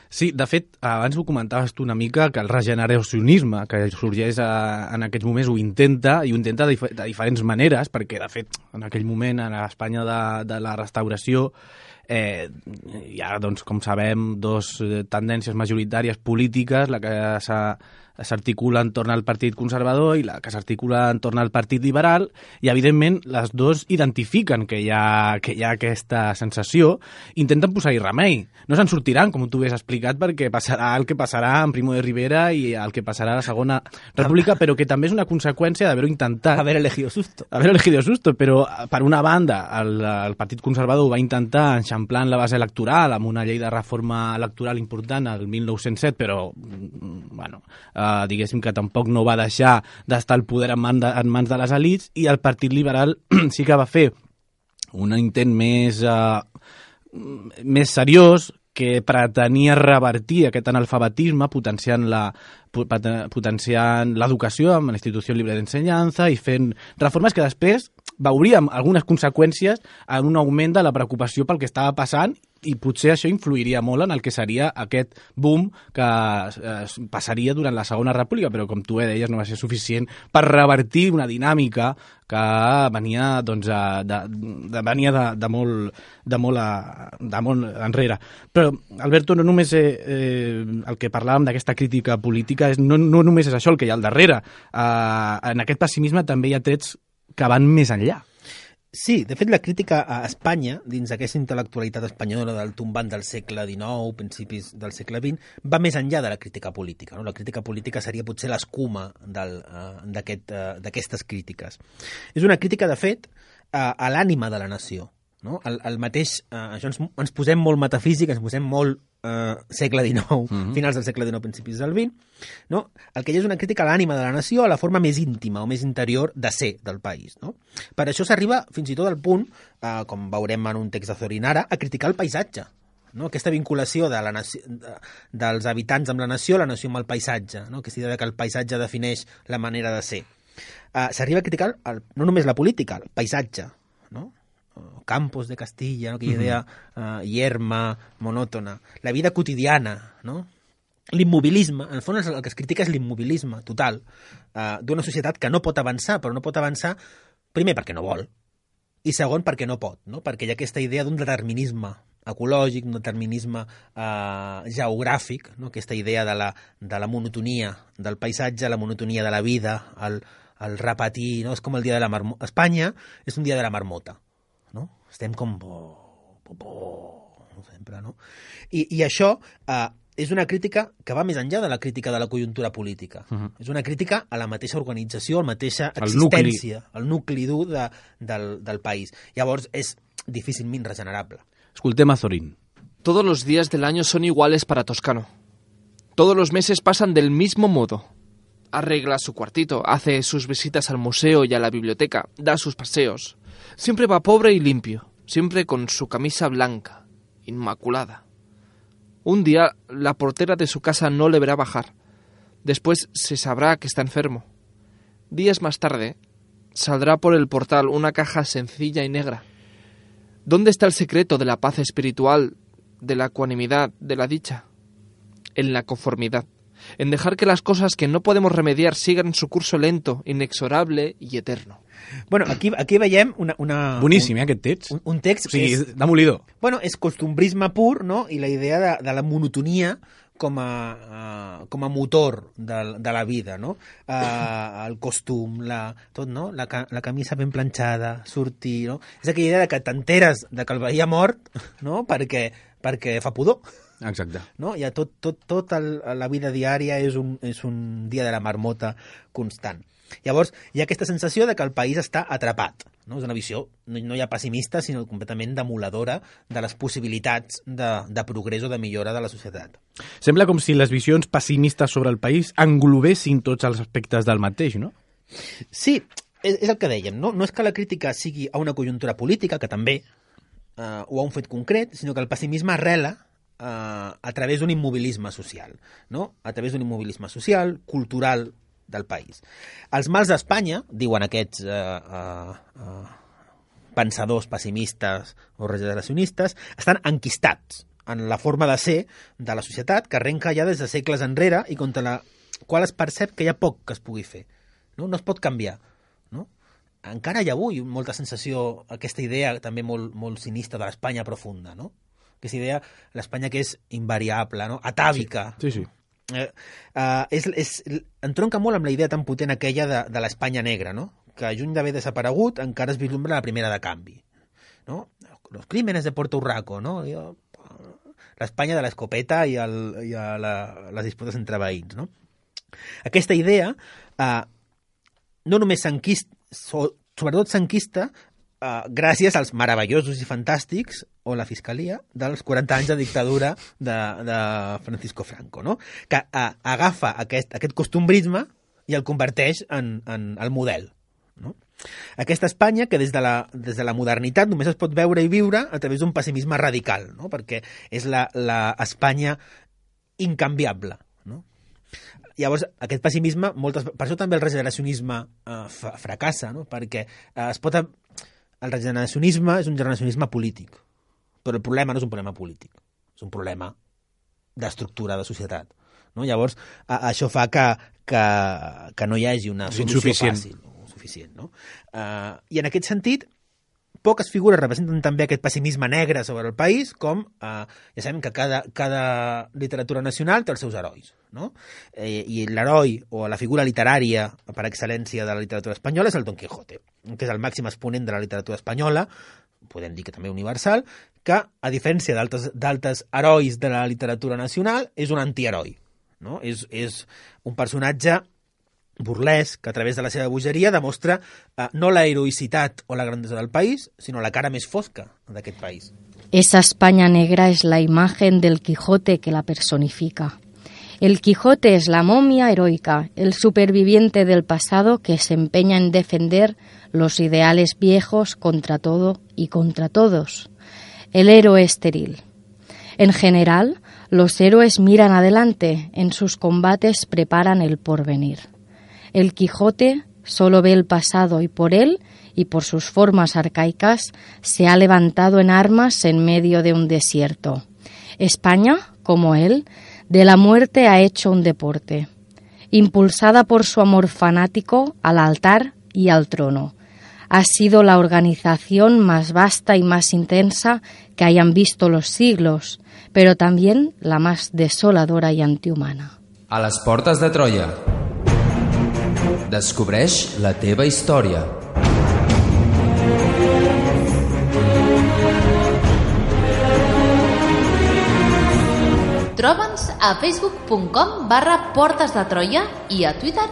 Sí, de fet, abans ho comentaves tu una mica, que el regeneracionisme que sorgeix en aquests moments ho intenta, i ho intenta de diferents maneres, perquè, de fet, en aquell moment, a l'Espanya de la restauració, hi ha, doncs, com sabem, dos tendències majoritàries polítiques, la que s'articula entorn al Partit Conservador i la que s'articula entorn al Partit Liberal, i evidentment les dos identifiquen que hi ha aquesta sensació, intenten posar-hi remei. No se'n sortiran, com tu has explicat, perquè passarà el que passarà en Primo de Rivera i el que passarà a la Segona República, però que també és una conseqüència d'haver-ho intentat. Haver elegido susto. Però per una banda el Partit Conservador va intentar enxamplar en la base electoral amb una llei de reforma electoral important el 1907, però bueno, diguéssim que tampoc no va deixar d'estar el poder en mans de les elits, i el Partit Liberal sí que va fer un intent més seriós, que pretenia revertir aquest analfabetisme potenciant l'educació amb la Institució Libre d'Ensenyança i fent reformes que després veuríem algunes conseqüències en un augment de la preocupació pel que estava passant, i potser això influiria molt en el que seria aquest boom que passaria durant la Segona República, però com tu deies no va ser suficient per revertir una dinàmica que venia de molt enrere. Però, Alberto, no només el que parlàvem d'aquesta crítica política, no només és això el que hi ha al darrere. En aquest pessimisme també hi ha trets que van més enllà. Sí, de fet la crítica a Espanya, dins d'aquesta intel·lectualitat espanyola del tombant del segle XIX, principis del segle XX, va més enllà de la crítica política. No? La crítica política seria potser l'escuma d'aquestes crítiques. És una crítica, de fet, a l'ànima de la nació. No? El mateix, això ens posem molt metafísic, ens posem molt segle XIX, finals del segle XIX, principis del XX, no? El que hi ha és una crítica a l'ànima de la nació, a la forma més íntima o més interior de ser del país. No? Per això s'arriba fins i tot al punt, com veurem en un text de Zorinara, a criticar el paisatge. No? Aquesta vinculació dels habitants amb la nació amb el paisatge, no? Aquesta idea que el paisatge defineix la manera de ser. S'arriba a criticar no només la política, el paisatge, no? Campos de Castilla, ¿no? Aquella idea yerma, monòtona, la vida quotidiana, no? L'immobilisme, en el fons el que es critica és l'immobilisme total d'una societat que no pot avançar, però no pot avançar primer perquè no vol i segon perquè no pot, no? Perquè hi ha aquesta idea d'un determinisme ecològic, un determinisme geogràfic, no? Aquesta idea de la monotonia del paisatge, la monotonia de la vida, el repetir, no? És com el dia de la marmota. Espanya és un dia de la marmota. No? Estem com sempre, no? I això és una crítica que va més enllà de la crítica de la conjuntura política. És una crítica a la mateixa organització, a la mateixa existència, al nucli dur del país. Llavors, és difícilment regenerable. Escoltem a Zorín. Todos los días del año son iguales para Toscano. Todos los meses pasan del mismo modo. Arregla su cuartito, hace sus visitas al museo y a la biblioteca, da sus paseos. Siempre va pobre y limpio, siempre con su camisa blanca, inmaculada. Un día la portera de su casa no le verá bajar. Después se sabrá que está enfermo. Días más tarde saldrá por el portal una caja sencilla y negra. ¿Dónde está el secreto de la paz espiritual, de la ecuanimidad, de la dicha? En la conformidad, en dejar que las cosas que no podemos remediar sigan su curso lento, inexorable y eterno. Bueno, aquí veiem Boníssim, aquest text. Un text... O sigui, demolidor. Bueno, és costumbrisme pur, no? I la idea de la monotonia com a motor de la vida, no? El costum, tot, no? La camisa ben planxada, sortir, no? És aquella idea de que t'enteres de que el veí ha mort, no? Perquè fa pudor. Exacte. No? Ja la vida diària és un dia de la marmota constant. Llavors, hi ha aquesta sensació de que el país està atrapat. No? És una visió, no hi ha pessimista, sinó completament demoladora de les possibilitats de progrés o de millora de la societat. Sembla com si les visions pessimistes sobre el país englobessin tots els aspectes del mateix, no? Sí, és el que dèiem. No és que la crítica sigui a una conjuntura política, que també, o a un fet concret, sinó que el pessimisme arrela a través d'un immobilisme social, no? A través d'un immobilisme social, cultural, del país. Els mals d'Espanya, diuen aquests pensadors pessimistes o regeneracionistes, estan enquistats en la forma de ser de la societat que arrenca ja des de segles enrere i contra la qual es percep que hi ha poc que es pugui fer. No es pot canviar. No? Encara hi ha avui molta sensació, aquesta idea també molt, molt sinistra de l'Espanya profunda, no? Aquesta idea, l'Espanya que és invariable, no? Atàvica. Sí. Entronca molt amb la idea tan potent aquella de l'Espanya negra, no? Que lluny d'haver desaparegut encara es vislumbra la primera de canvi, no? Los crímenes de Puerto Urraco, no? L'Espanya de l'escopeta i les disputes entre veïns, no? Aquesta idea no només s'enquista, sobretot s'enquista gràcies als meravellosos i fantàstics o la fiscalia dels 40 anys de dictadura de Francisco Franco, no? Que agafa aquest costumbrisme i el converteix en el model, no? Aquesta Espanya que des de la modernitat només es pot veure i viure a través d'un pessimisme radical, no? Perquè és l'Espanya incanviable, no? Llavors, aquest pessimisme, per això també el regeneracionisme fracassa, no? Perquè el regeneracionisme és un regeneracionisme polític, però el problema no és un problema polític, és un problema d'estructura de societat, no? Llavors, això fa que no hi hagi una solució fàcil o suficient, no? I en aquest sentit, poques figures representen també aquest pessimisme negre sobre el país, com ja sabem que cada literatura nacional té els seus herois, no? I l'heroi o la figura literària per excel·lència de la literatura espanyola és el Don Quijote, que és el màxim exponent de la literatura espanyola, podem dir que també universal, que, a diferència d'altres herois de la literatura nacional, és un antiheroi, no? És un personatge burlesc que a través de la seva bogeria demostra no la heroïcitat o la grandesa del país, sinó la cara més fosca d'aquest país. Esa España negra es la imagen del Quijote que la personifica. El Quijote es la momia heroica, el superviviente del pasado que se empeña en defender los ideales viejos contra todo y contra todos. El héroe estéril. En general, los héroes miran adelante, en sus combates preparan el porvenir. El Quijote solo ve el pasado y por él y por sus formas arcaicas se ha levantado en armas en medio de un desierto. España, como él, de la muerte ha hecho un deporte. Impulsada por su amor fanático al altar y al trono. Ha sido la organización más vasta y más intensa que hayan visto los siglos, pero también la más desoladora y antihumana. A les portes de Troia. Descobreix la teva història. Troba'ns a facebook.com/Portes de Troia i a Twitter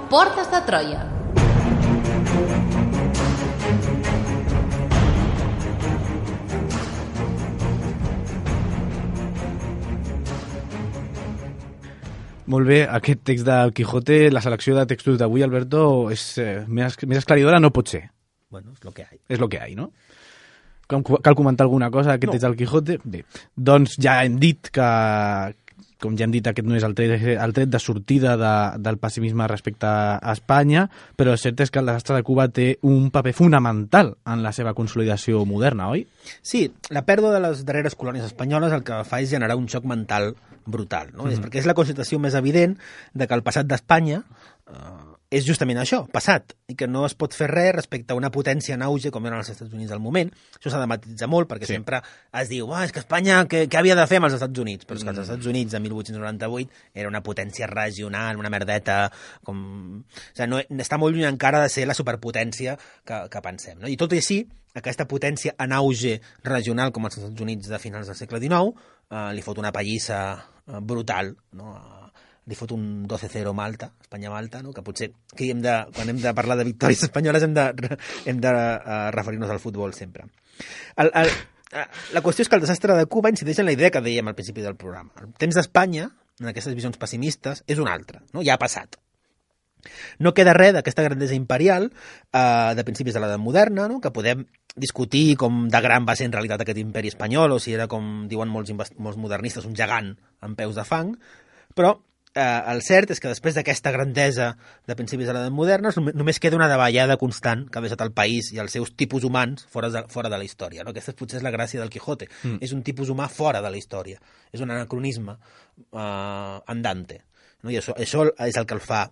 @Portes de Troia. Molt bé, aquest text del Quijote, la selecció de textos d'avui, Alberto, és més esclaridora no pot ser. Bueno, és lo que hay. És lo que hay, no? Cal comentar alguna cosa d'aquest text del Quijote? Bé, doncs ja hem dit que, com ja hem dit, aquest no és el tret de sortida del pessimisme respecte a Espanya, però el cert és que el desastre de Cuba té un paper fonamental en la seva consolidació moderna, oi? Sí, la pèrdua de les darreres colònies espanyoles el que fa és generar un xoc mental brutal, no? És perquè és la constatació més evident de que el passat d'Espanya és justament això, passat, i que no es pot fer res respecte a una potència en auge com eren els Estats Units del moment. Això s'ha de matitzar molt, perquè sempre es diu és que Espanya, què havia de fer amb els Estats Units? Però és que els Estats Units de 1898 era una potència regional, una merdeta, com... O sigui, no, està molt lluny encara de ser la superpotència que pensem, no? I tot i així, aquesta potència en auge regional com els Estats Units de finals del segle XIX li fot una pallissa brutal, no? Li fot un 12-0 Malta, Espanya-Malta, no? Que potser quan hem de parlar de victòries espanyoles hem de referir-nos al futbol sempre. La qüestió és que el desastre de Cuba incideix en la idea que dèiem al principi del programa. El temps d'Espanya, en aquestes visions pessimistes, és un altre, no? Ja ha passat. No queda res d'aquesta grandesa imperial de principis de l'edat moderna, no? Que podem discutir com de gran va ser en realitat aquest imperi espanyol, o si era, com diuen molts modernistes, un gegant amb peus de fang, però el cert és que després d'aquesta grandesa de principis de l'edat moderna només queda una davallada constant que ha deixat el país i els seus tipus humans fora de la història, no? Aquesta potser és la gràcia del Quijote. És un tipus humà fora de la història. És un anacronisme andante, no? I això és el que el fa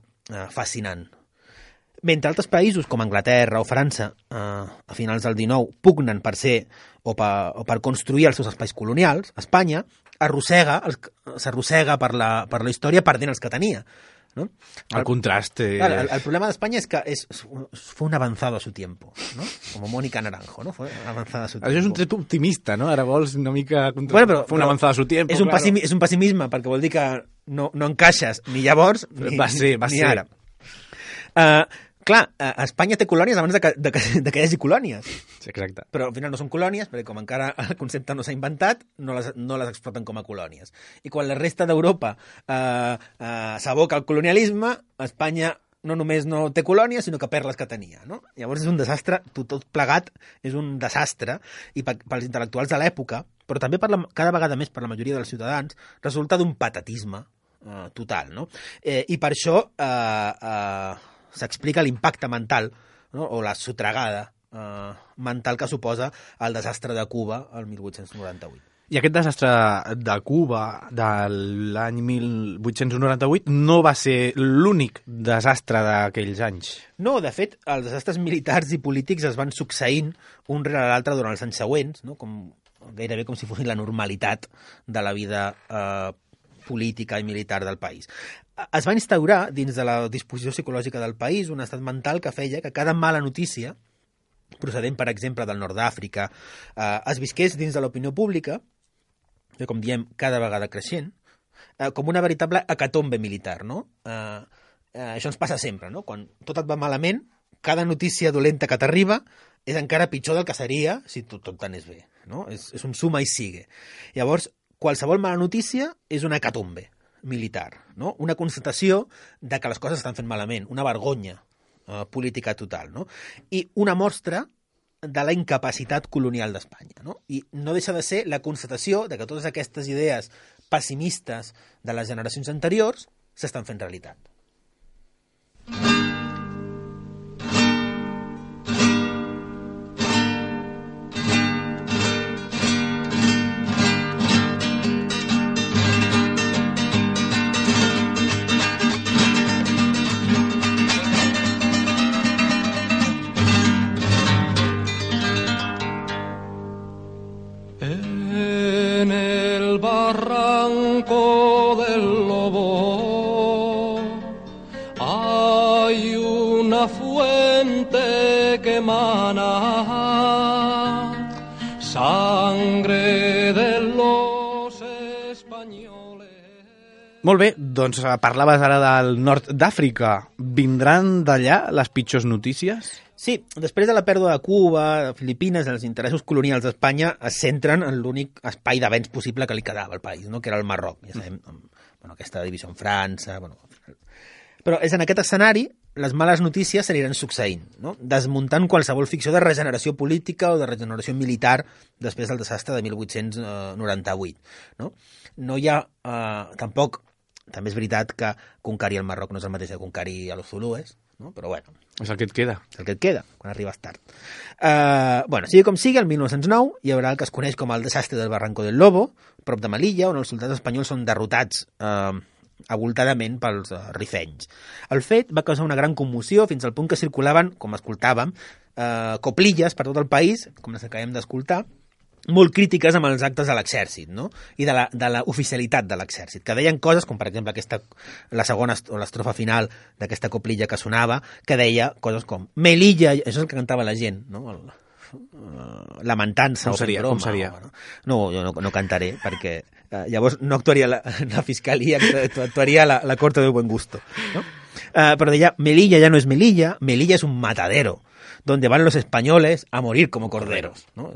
fascinant. Mentre altres països com Anglaterra o França a finals del XIX pugnen per ser o per construir els seus espais colonials, Espanya s'arrossega per la història perdent els que tenia, ¿no? El contrast. El problema d'Espanya és que fue un avanzado a su tiempo, ¿no? Como Mónica Naranjo, ¿no? Fue avanzada a su tiempo. Això és un tret optimista, no? Ara vols una mica... Però fue un avanzado a su tiempo, és un pessimisme, perquè vol dir que no encaixes ni llavors ni ara. Clar, Espanya té colònies abans de que hi hagi colònies. Sí, exacte. Però al final no són colònies, perquè com encara el concepte no s'ha inventat, no les exploten com a colònies. I quan la resta d'Europa s'aboca al colonialisme, Espanya no només no té colònies, sinó que perd les que tenia, no? Llavors és un desastre, tot plegat és un desastre, i pels intel·lectuals de l'època, però també cada vegada més per la majoria dels ciutadans, resulta d'un patetisme total, no? I per això s'explica l'impacte mental, no? O la sotregada mental que suposa el desastre de Cuba el 1898. I aquest desastre de Cuba de l'any 1898 no va ser l'únic desastre d'aquells anys. No, de fet, els desastres militars i polítics es van succeint un rere l'altre durant els anys següents, no? Gairebé com si fos la normalitat de la vida política i militar del país. Es va instaurar dins de la disposició psicològica del país un estat mental que feia que cada mala notícia, procedent, per exemple, del nord d'Àfrica, es visqués dins de l'opinió pública, com diem, cada vegada creixent, com una veritable hecatombe militar, no? Això ens passa sempre, no? Quan tot et va malament, cada notícia dolenta que t'arriba és encara pitjor del que seria si tot t'anés bé, no? És un suma i sigue. Llavors, qualsevol mala notícia és una hecatombe militar, no? Una constatació de que les coses estan fent malament, una vergonya política total, no? I una mostra de la incapacitat colonial d'Espanya, no? I no deixa de ser la constatació de que totes aquestes idees pessimistes de les generacions anteriors s'estan fent realitat. En el barranco del Lobo hay una fuente que emana sangre de los españoles. Molt bé, doncs parlaves ara del nord d'Àfrica. Vindran d'allà les pitjors notícies? Sí, després de la pèrdua de Cuba, de Filipines, els interessos colonials d'Espanya es centren en l'únic espai d'avenç possible que li quedava al país, no? Que era el Marroc. Ja sabem, aquesta divisió en França... Però és en aquest escenari les males notícies s'aniran succeint, no? Desmuntant qualsevol ficció de regeneració política o de regeneració militar després del desastre de 1898. No hi ha tampoc... També és veritat que conquerir el Marroc no és el mateix que conquerir a los zulúes, no? Però bueno. És el que et queda. És el que et queda, quan arribes tard. Sigui com sigui, el 1909 hi haurà el que es coneix com el desastre del Barranco del Lobo, prop de Melilla, on els soldats espanyols són derrotats avoltadament pels rifenys. El fet va causar una gran commoció fins al punt que circulaven, com escoltàvem, coplilles per tot el país, com les que acabem d'escoltar, molt crítiques amb els actes de l'exèrcit, no? I de la oficialitat de l'exèrcit, que deien coses com, per exemple, la segona o l'estrofa final d'aquesta coplilla que sonava, que deia coses com Melilla, això és el que cantava la gent, no? Lamentant-se. Com seria? No, jo no cantaré, perquè llavors no actuaria la fiscalia, actuaria la corte del buen gusto, no? Però deia, Melilla ya no es Melilla, Melilla es un matadero, donde van los españoles a morir como corderos, no?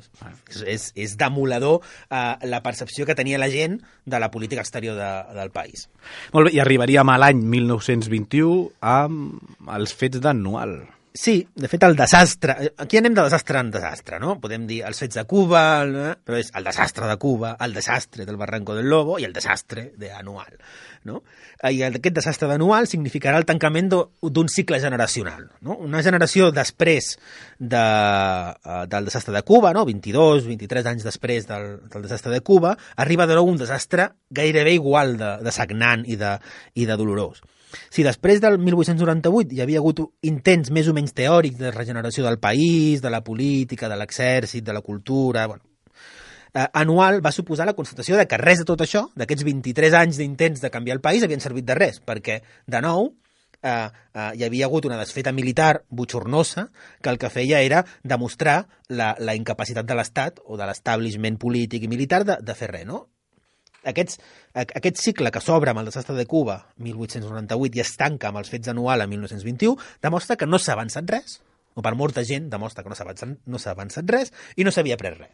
És demoledor la percepció que tenia la gent de la política exterior del país. Molt bé, i arribaríem a l'any 1921 amb els fets d'Anual. Sí, de fet el desastre, aquí anem de desastre en desastre, no? Podem dir els fets de Cuba, però és el desastre de Cuba, el desastre del Barranco del Lobo i el desastre d'Anual, no? I aquest desastre d'Anual significarà el tancament d'un cicle generacional, no? Una generació després del desastre de Cuba, no? 23 anys després del desastre de Cuba, arriba de nou un desastre gairebé igual de sagnant i de dolorós. Si després del 1898 hi havia hagut intents més o menys teòrics de regeneració del país, de la política, de l'exèrcit, de la cultura... Anual va suposar la constatació de que res de tot això, d'aquests 23 anys d'intents de canviar el país, havien servit de res, perquè, de nou, hi havia hagut una desfeta militar botxornosa que el que feia era demostrar la incapacitat de l'Estat o de l'establishment polític i militar de fer res, no? Aquest cicle que s'obre amb el desastre de Cuba 1898 i es tanca amb els fets d'Anual a 1921 demostra que no s'ha avançat res, o per molta gent demostra que no s'ha avançat res i no s'havia pres res.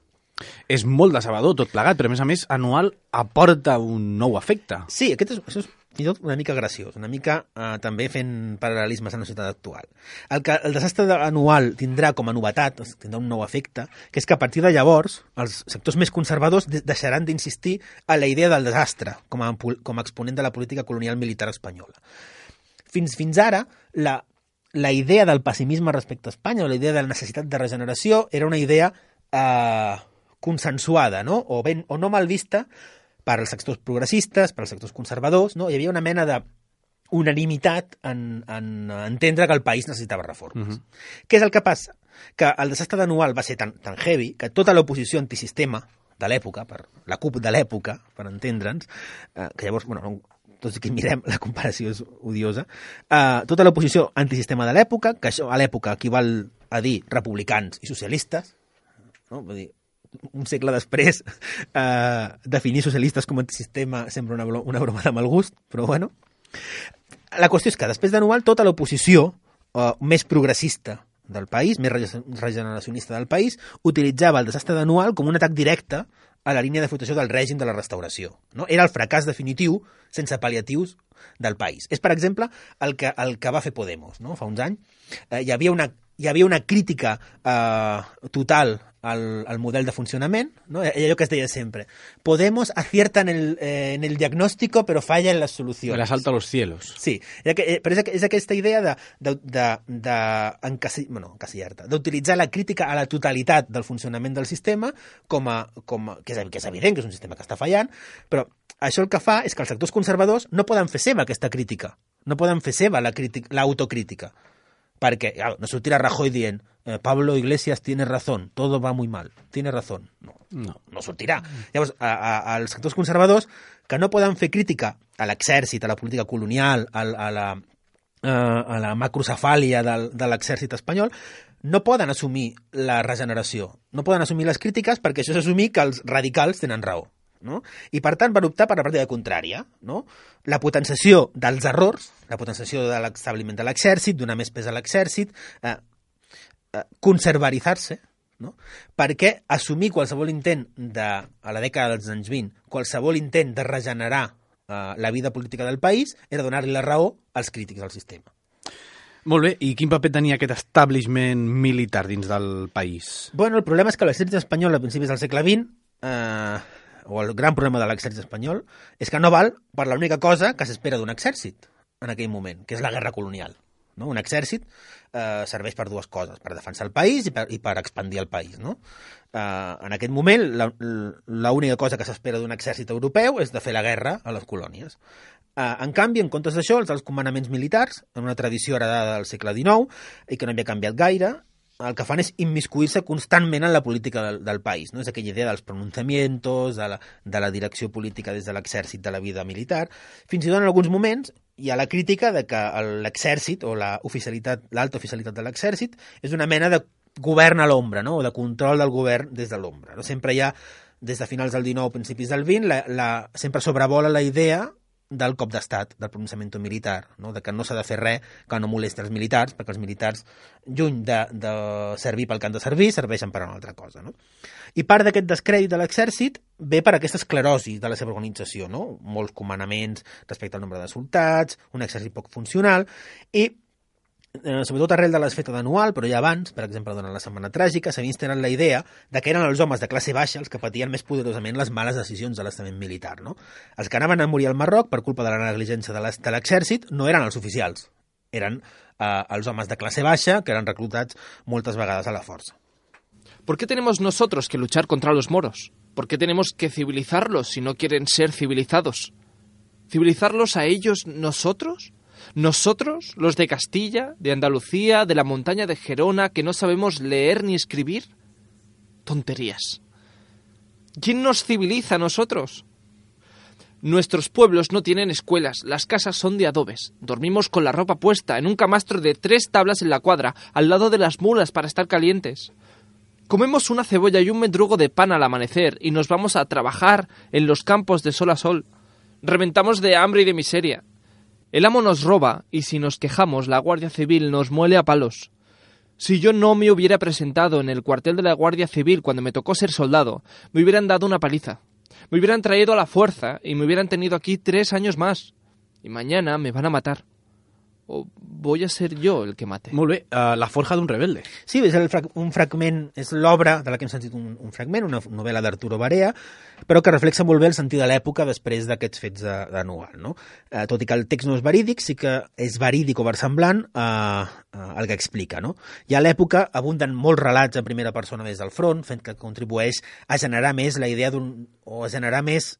És molt decebedor tot plegat, però a més Anual aporta un nou efecte. Sí, això és fins i tot una mica graciós, una mica també fent paral·lelismes en la societat actual. El desastre anual tindrà com a novetat, tindrà un nou efecte, que és que a partir de llavors els sectors més conservadors deixaran d'insistir a la idea del desastre com a exponent de la política colonial militar espanyola. Fins ara, la idea del pessimisme respecte a Espanya o la idea de la necessitat de regeneració era una idea consensuada, no? O no mal vista per als sectors progressistes, per als sectors conservadors, no? Hi havia una mena d'unanimitat en entendre que el país necessitava reformes. Què és el que passa? Que el desastre d'Anual va ser tan heavy que tota l'oposició antisistema de l'època, la CUP de l'època, per entendre'ns, que llavors, tots que mirem, la comparació és odiosa, tota l'oposició antisistema de l'època, que això a l'època equival a dir republicans i socialistes, no? Vull dir, un segle després, definir socialistes com antisistema sembla una broma de mal gust, però bueno. La qüestió és que després d'Anual tota l'oposició més progressista del país, més regeneracionista del país, utilitzava el desastre d'Anual com un atac directe a la línia de flotació del règim de la restauració. No? Era el fracàs definitiu, sense pal·liatius, del país. És, per exemple, el que va fer Podemos, no? Fa uns anys. Hi havia una crítica total al model de funcionament, ¿no? Allò que es deia sempre. Podemos acierta en el diagnóstico, pero falla en las soluciones. El asalto a los cielos. Sí, però és aquesta idea d'utilitzar la crítica a la totalitat del funcionament del sistema que és evident que és un sistema que està fallant, però això el que fa és que els sectors conservadors no poden fer seva aquesta crítica, no poden fer seva l'autocrítica. Perquè no sortirà Rajoy dient Pablo Iglesias tiene razón, todo va muy mal, tiene razón. No sortirà. Llavors, als sectors conservadors que no poden fer crítica a l'exèrcit, a la política colonial, a la macrocefàlia de l'exèrcit espanyol, no poden assumir la regeneració, no poden assumir les crítiques perquè això és assumir que els radicals tenen raó. no? I, per tant, van optar per la pràctica contrària, no? La potenciació dels errors, la potenciació de l'establiment de l'exèrcit, donar més pes a l'exèrcit, conservaritzar-se, no? Perquè assumir qualsevol intent a la dècada dels anys 20, qualsevol intent de regenerar la vida política del país era donar-li la raó als crítics del sistema. Molt bé, i quin paper tenia aquest establishment militar dins del país? Bueno, el problema és que l'exèrcit espanyol a principis del segle XX, o el gran problema de l'exèrcit espanyol, és que no val per l'única cosa que s'espera d'un exèrcit en aquell moment, que és la guerra colonial. No? Un exèrcit serveix per dues coses, per defensar el país i per expandir el país. No? En aquest moment, l'única cosa que s'espera d'un exèrcit europeu és de fer la guerra a les colònies. En canvi, en comptes d'això, els comandaments militars, en una tradició heredada del segle XIX i que no havia canviat gaire, el que fan és immiscuir-se constantment en la política del país. No? És aquella idea dels pronunciamientos, de la direcció política des de l'exèrcit de la vida militar. Fins i tot en alguns moments hi ha la crítica de que l'exèrcit o l'alta oficialitat de l'exèrcit és una mena de govern a l'ombra, no? O de control del govern des de l'ombra. No? Sempre hi ha, des de finals del XIX, principis del XX, sempre sobrevola la idea del cop d'estat, del pronunciament militar, no? De que no s'ha de fer res que no molesti els militars, perquè els militars, lluny de servir pel que han de servir, serveixen per a una altra cosa. No? I part d'aquest descrèdit de l'exèrcit ve per aquesta esclerosi de la seva organització, no? Molts comandaments respecte al nombre de soldats, un exèrcit poc funcional, i sobretot arrel de l'esfeta d'anual, però ja abans, per exemple, durant la Setmana Tràgica, s'havia instal·lat la idea de que eren els homes de classe baixa els que patien més poderosament les males decisions de l'estament militar. No? Els que anaven a morir al Marroc per culpa de la negligència de l'exèrcit no eren els oficials, eren els homes de classe baixa que eren reclutats moltes vegades a la força. ¿Por qué tenemos nosotros que luchar contra los moros? ¿Por qué tenemos que civilizarlos si no quieren ser civilizados? ¿Civilizarlos a ellos nosotros? ¿Nosotros, los de Castilla, de Andalucía, de la montaña de Gerona, que no sabemos leer ni escribir? Tonterías. ¿Quién nos civiliza a nosotros? Nuestros pueblos no tienen escuelas, las casas son de adobes. Dormimos con la ropa puesta en un camastro de 3 tablas en la cuadra, al lado de las mulas para estar calientes. Comemos una cebolla y un mendrugo de pan al amanecer y nos vamos a trabajar en los campos de sol a sol. Reventamos de hambre y de miseria. El amo nos roba y si nos quejamos la Guardia Civil nos muele a palos. Si yo no me hubiera presentado en el cuartel de la Guardia Civil cuando me tocó ser soldado, me hubieran dado una paliza. Me hubieran traído a la fuerza y me hubieran tenido aquí 3 años más. Y mañana me van a matar. O voy a ser jo el que mate. Molt bé, La forja d'un rebelde. Sí, és un fragment, és l'obra de la que hem sentit un fragment, una novel·la d'Arturo Barea, però que reflexa molt bé el sentit de l'època després d'aquests fets d'anual. No? Tot i que el text no és verídic, sí que és verídic o versemblant el que explica. No? I a l'època abunden molts relats en primera persona des del front, fent que contribueix a generar més la idea o a generar més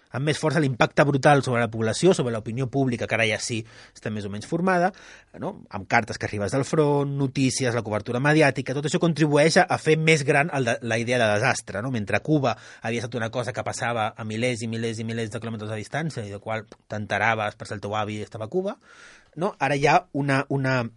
amb més força l'impacte brutal sobre la població, sobre l'opinió pública, que ara ja sí està més o menys formada, no? Amb cartes que arribes del front, notícies, la cobertura mediàtica, tot això contribueix a fer més gran la idea de desastre. No? Mentre Cuba havia estat una cosa que passava a milers i milers i milers de quilòmetres de distància i de qual t'enteraves per si el teu avi estava a Cuba, no? Ara hi ha una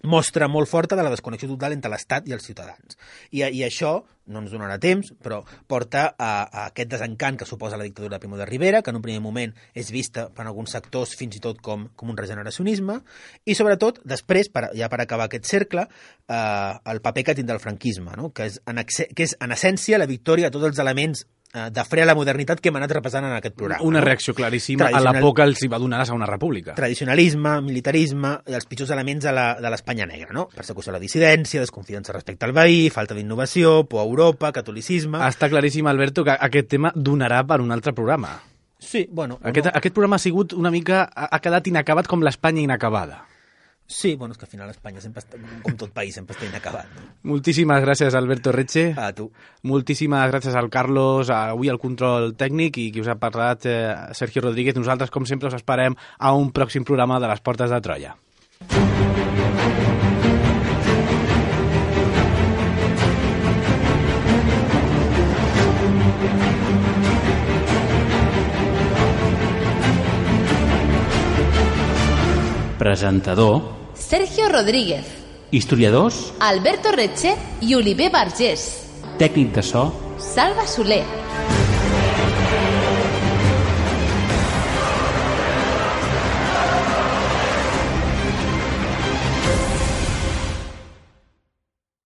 mostra molt forta de la desconnexió total entre l'Estat i els ciutadans. I això, no ens donarà temps, però porta a aquest desencant que suposa la dictadura de Primo de Rivera, que en un primer moment és vista per alguns sectors fins i tot com un regeneracionisme, i sobretot, després, ja per acabar aquest cercle, el paper que tindrà el franquisme, no? que és en essència la victòria de tots els elements de fre a la modernitat que hem anat repassant en aquest programa. Una reacció claríssima a la por que els va donar la Segona República. Tradicionalisme, militarisme i els pitjors elements de l'Espanya negra, no? Persecució a la dissidència, desconfiança respecte al veí, falta d'innovació, por a Europa, catolicisme... Està claríssim, Alberto, que aquest tema donarà per un altre programa. Sí, bueno... Aquest programa ha sigut una mica... ha quedat inacabat com l'Espanya inacabada. Sí, bueno, és que al final Espanya sempre està, com tot país, sempre està inacabat. No? Moltíssimes gràcies, Alberto Retxe. A tu. Moltíssimes gràcies al Carlos, avui al control tècnic, i qui us ha parlat, Sergio Rodríguez. Nosaltres, com sempre, us esperem a un pròxim programa de les Portes de Troia. Presentador Sergio Rodríguez. Historiadors Alberto Retxe i Oliver Vergés. Tècnic de so Salva Soler.